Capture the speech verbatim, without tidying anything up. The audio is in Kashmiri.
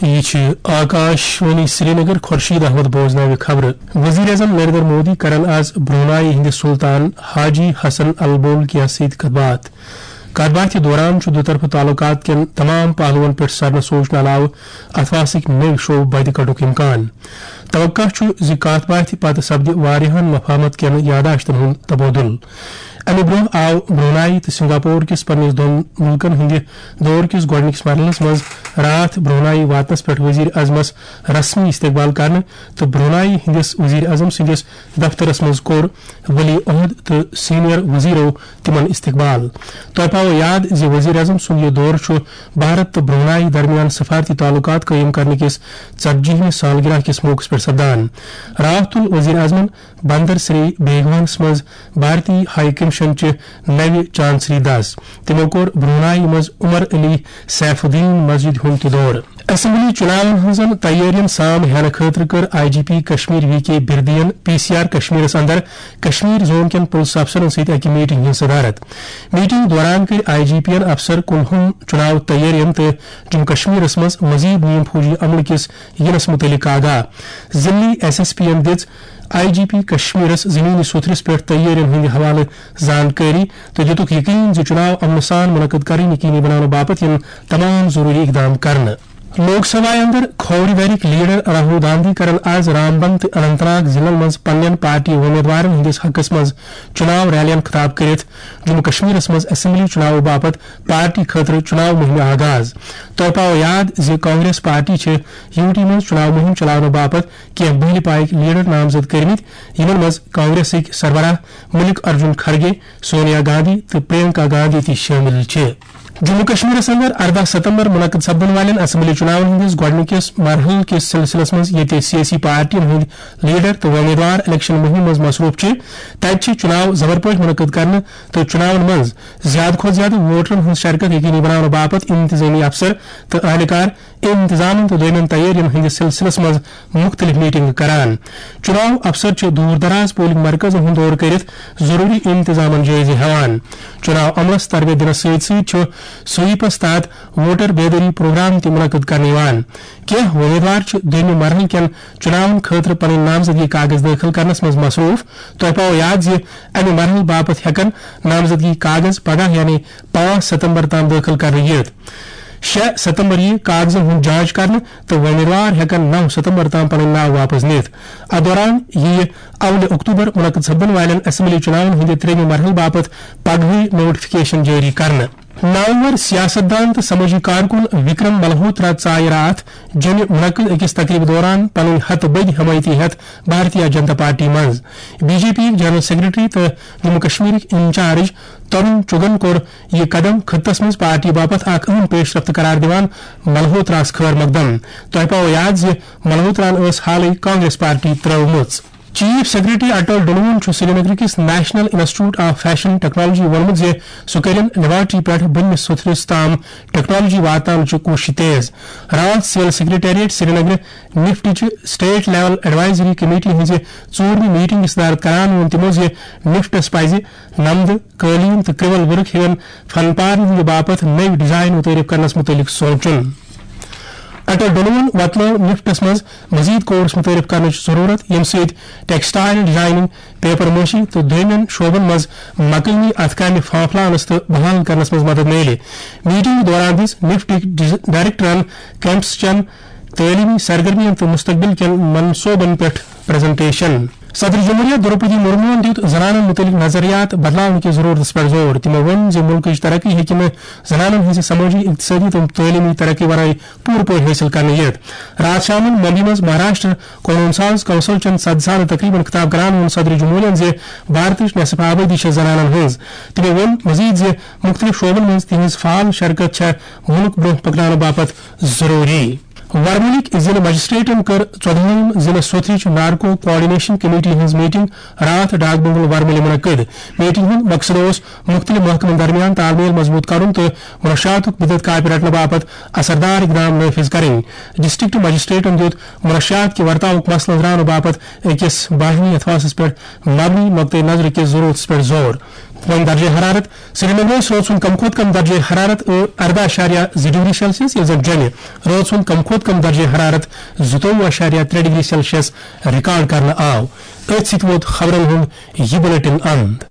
یہِ چھِ آکاش وانی سرینگر۔ خورشید احمد بوزناوِ خبرٕ۔ وزیر اعظم نریندر مودی کرن آز برونائی ہٕنٛدِ سلطان حاجی حسن البولکیا سۭتۍ کتھ باتھ۔ کتھ باتھِ دوران چھُ دُطرفہٕ تعلقات کٮ۪ن تمام پہلوَن پٮ۪ٹھ سرنہٕ سوچنہٕ علاوٕ اتھواسٕکۍ نٔوۍ شعبہٕ بدِ کڑُک امکان۔ توقع چھُ زِ کتھ باتھِ پتہٕ سپدِ واریاہَن مفاہمت کٮ۪ن یاداشتن ہُنٛد تبادلہٕ۔ امہِ برونٛہہ آو برونائی تہٕ سنگاپور کِس پننِس دۄن مُلکن ہٕنٛدِ دور کِس گۄڈٕنِکِس مرحلس منٛز راتھ برونائی واتنس پٮ۪ٹھ وزیر اعظمس رسمی استقبال کرنہٕ تہٕ برونائی ہٕنٛدِس وزیر اعظم سٕنٛدِس دفترس منٛز کوٚر ولی عہد تہٕ سینئر وزیرو تِمن استقبال۔ تۄہہِ پاوو یاد زِ وزیر اعظم سُنٛد یہِ دورٕ چھُ بھارت تہٕ برونائی درمیان سفارتی تعلقات قٲیِم کرنہٕ کِس ژتجی ہمہِ سالگرہ کِس موقعس پٮ۪ٹھ سپدان۔ راتھ تُل وزیر اعظمن بندر سری بیگونس منٛز بھارتی ہائی کمیشن چہِ نوِ چانسری دس۔ تِمو کوٚر برونائی منٛز عمر علی سیف الدین مسجد ہُنٛد تہِ دورٕ۔ اسمبلی چُناون ہٕنٛزن تیٲرین سام ہینہٕ خٲطرٕ کٔر I G P Kashmir V K بردین پی سی آر کشمیرس اندر کشمیر زون کٮ۪ن پُلس افسرن سۭتۍ اکہِ میٹنگ ہٕنٛز صدارت۔ میٹنگ دوران کٔرۍ آئی جی پی ین افسر کُلہُم چُناو تیٲرین تہٕ جموں کشمیرس منٛز مزید نیم فوجی عملہٕ کِس یِنس مُتعلق آگاہ۔ ضلعی ایس ایس پی ین دِژ آئی جی پی کشمیرس زمینی سوٚتھرِس پٮ۪ٹھ تیٲرین ہٕنٛدِ حوالہٕ زانکٲری تہٕ دِتُکھ یقین زِ چُناو امنہٕ سان منعقد کرٕنۍ یقینی بناونہٕ باپتھ یِن تمام ضروری اقدام کرنہٕ۔ لوک سبھایہ اندر کھوورِ دٔرِکۍ لیڈر راہل گاندھی کرن آز رامبن تہٕ اننت ناگ ضلعن منٛز پننٮ۪ن پارٹی وۄمیدوارن ہٕنٛدِس حقس منٛز چُناو ریلین خطاب کٔرِتھ جموں کشمیرس منٛز اسمبلی چُناوٕ باپتھ پارٹی خٲطرٕ چُناو مُہِمہِ آغاز۔ تۄہہِ پاوو یاد زِ کانگریس پارٹی چھِ یوٗ ٹی منٛز چُناو مُہِم چلاونہٕ باپتھ کینٛہہ بٔلۍ پایِکۍ لیڈر نامزد کٔرمٕتۍ، یِمن منٛز کانگریسٕکۍ سربراہ ملک ارجن کھرگے، سونیا گاندھی تہٕ پرینکا گاندھی تہِ شٲمِل چھِ۔ جموں کشمیرس اندر ارداہ ستمبر منعقد سپدن والٮ۪ن اسمبلی چُناون ہٕنٛدِس گۄڈٕنِکِس مرحلہٕ کِس سلسلس منٛز، ییٚتہِ سیٲسی پارٹین ہٕنٛدۍ لیڈر تہٕ وۄمیدوار الیکشن مُہِم منٛز مصروف چھِ، تتہِ چھِ چُناو زبر پٲٹھۍ منعقد کرنہٕ تہٕ چُناون منٛز زیادٕ کھۄتہٕ زیادٕ ووٹرن ہٕنٛز شرکت یقینی بناونہٕ باپتھ انتظٲمی افسر تہٕ اہلکار انتظامن تہٕ دویمٮ۪ن تیٲرین ہٕنٛدِس سلسلس منٛز مُختٔلِف میٹنگہٕ کران۔ چُناو افسر چھِ دوٗر دراز پولنگ مرکزن ہُنٛد دورٕ کٔرِتھ ضروٗری انتظامن جٲیزٕ ہٮ۪وان۔ چُناو عملس تربیت دِنس سۭتۍ سۭتۍ چھُ سویپس تحت ووٹر بیدٲری پروگرام تہِ منعقد کرنہٕ یِوان۔ کینٛہہ وۄمیدوار چھِ دوٚیمہِ مرحلہٕ کٮ۪ن چُناون خٲطرٕ پنٕنۍ نامزدگی کاغذ دٲخل کرنس منٛز مصروٗف۔ تۄہہِ پاوو یاد زِ امہِ مرحلہٕ باپتھ ہٮ۪کن نامزدگی کاغذ پگاہ یعنی پانٛژھ ستمبر تام دٲخل کرنہٕ یِتھ۔ شےٚ ستمبر یِیہِ کاغذن ہُنٛد جانچ کرنہٕ تہٕ وۄمیدوار ہٮ۪کن نو ستمبر تام پنٕنۍ ناو واپس نِتھ۔ اتھ دوران یِیہِ اولہِ اکتوبر منعقد سپدن والٮ۪ن اسمبلی چُناون ہٕنٛدِ ترٛیٚیمہِ مرحلہٕ باپتھ پگہٕے نوٹیفکیشن جٲری کرنہٕ۔ نامور سیاست دان تہٕ سمٲجی کارکُن وکرم ملہوترا ژایہِ راتھ جوٚمہِ منعقد أکِس تقریبہِ دوران پنٕنۍ ہتہٕ بٔدۍ حمایتی ہٮ۪تھ بھارتیہ جنتا پارٹی منٛز۔ بی جے پی یِکۍ جنرل سیکرٹری تہٕ جموں کشمیرٕکۍ انچارج ترون چُگن کوٚر یہِ قدم خطس منٛز پارٹی باپتھ اکھ اہم پیش رفت قرار دِوان ملہوتراہس خٲر مقدم۔ تۄہہِ پاوو یاد زِ ملہوتراہن ٲس حالٕے کانگریس پارٹی ترٲومٕژ۔ چیف سیکرٹری اٹل ڈلون چھُ سرینگر کِس national institute of fashion technology ووٚنمُت زِ سُہ کٔرِن لیبارٹری پٮ۪ٹھ بٔنمِس سوٚتھرِس تام ٹیکنالوجی واتناونٕچہِ کوٗشش تیز۔ راتھ سول سیکرٹریٹ سرینگر نفٹٕچہِ اسٹیٹ لیول ایڈوائزری کمیٹی ہٕنٛزِ ژوٗرمہِ میٹنگہِ صدارت کران ووٚن تِمو زِ نفٹس پزِ نمدٕ، قٲلیٖن تہٕ کرٛول ورک ہِوٮ۪ن فن پارن ہٕنٛدِ باپتھ نٔوۍ ڈیزائن متعارف کرنس متعلق سونچُن۔ اٹل ڈلون وۄتلٲو نفٹس منٛز مزید کورس متعارف کرنٕچ ضرورت، ییٚمہِ سۭتۍ ٹیکسٹائل ڈیزائننگ، پیپر ماشی تہٕ دویمٮ۪ن شعبن منٛز مقٲمی اتھٕ کامہِ پھانپھلاونس تہٕ بحال کرنس منٛز مدد میلہِ۔ میٹنگ دوران دِژ نفٹٕکۍ ڈیز-، ڈائریکٹرن کیمپس چٮ۪ن تعلیمی سرگرمین تہٕ مستقبل کٮ۪ن منصوبن پٮ۪ٹھ پریزنٹیشن۔ صدر جمہوریہ دروپدی مرموہن دیُت زنانن متعلق نظریات بدلاونہٕ کِس ضرورتس پٮ۪ٹھ زور۔ تِمو ووٚن زِ مُلکٕچ ترقی ہیٚکہِ نہٕ زنانن ہٕنٛزِ سمٲجی، اقتصٲدی تہٕ تعلیمی ترقی ورٲے پوٗرٕ پٲٹھۍ حٲصِل کرنہٕ یِتھ۔ راتھ شامن ممبئی منٛز مہاراشٹر قونوٗن ساز کونسل چٮ۪ن سدسانہٕ تقریبن خطاب کران ووٚن صدر جمہوریہن زِ بھارتٕچ نصف آبٲدی چھےٚ زنانن ہٕنٛز۔ تِمو ووٚن مزید زِ مُختٔلِف شعبن منٛز تِہنٛز فعال شرکت چھےٚ مُلک برونٛہہ پکناونہٕ باپتھ ضروٗری۔ ورمُلٕکۍ ضلعہٕ مجسٹریٹن کٔر ژۄدہٲیِم ضلعہٕ سوتھرٕچ نارکو کوآرڈینیشن کمیٹی ہٕنٛز میٹنگ راتھ ڈاک بنگلہٕ ورمُلہِ منعقد۔ میٹنگ ہُنٛد مقصد اوس مُختٔلِف محکمن درمیان تال میل مضبوٗط کرُن تہٕ منشیاتُک بدعت کاپہِ رٹنہٕ باپتھ اثردار اقدام نافذ کرٕنۍ۔ ڈسٹرکٹ مجسٹریٹن دیُت منشیات کہِ ورتاوُک مسلہٕ أنٛزراونہٕ باپتھ أکِس باہمی اتھواسس پٮ۪ٹھ مبنی نقطہٕ نظرٕ کِس ضرورتس پٮ۪ٹھ زور۔ وۄنۍ درجہ حرارت۔ سرینگرس رٲژ ہُنٛد کم کھۄتہٕ کم درجہ حرارت ٲ ارداہ اشاریہ زٕ ڈگری سیلسیس، ییٚلہِ زن جوٚمہِ رٲژ ہُنٛد کم کھۄتہٕ کم درجہ حرارت زٕتووُہ اشاریہ ترٛےٚ ڈگری سیلسیس ریکارڈ کرنہٕ آو۔ أتھۍ سۭتۍ ووت خبرن ہُنٛد یہِ بلیٹن اند۔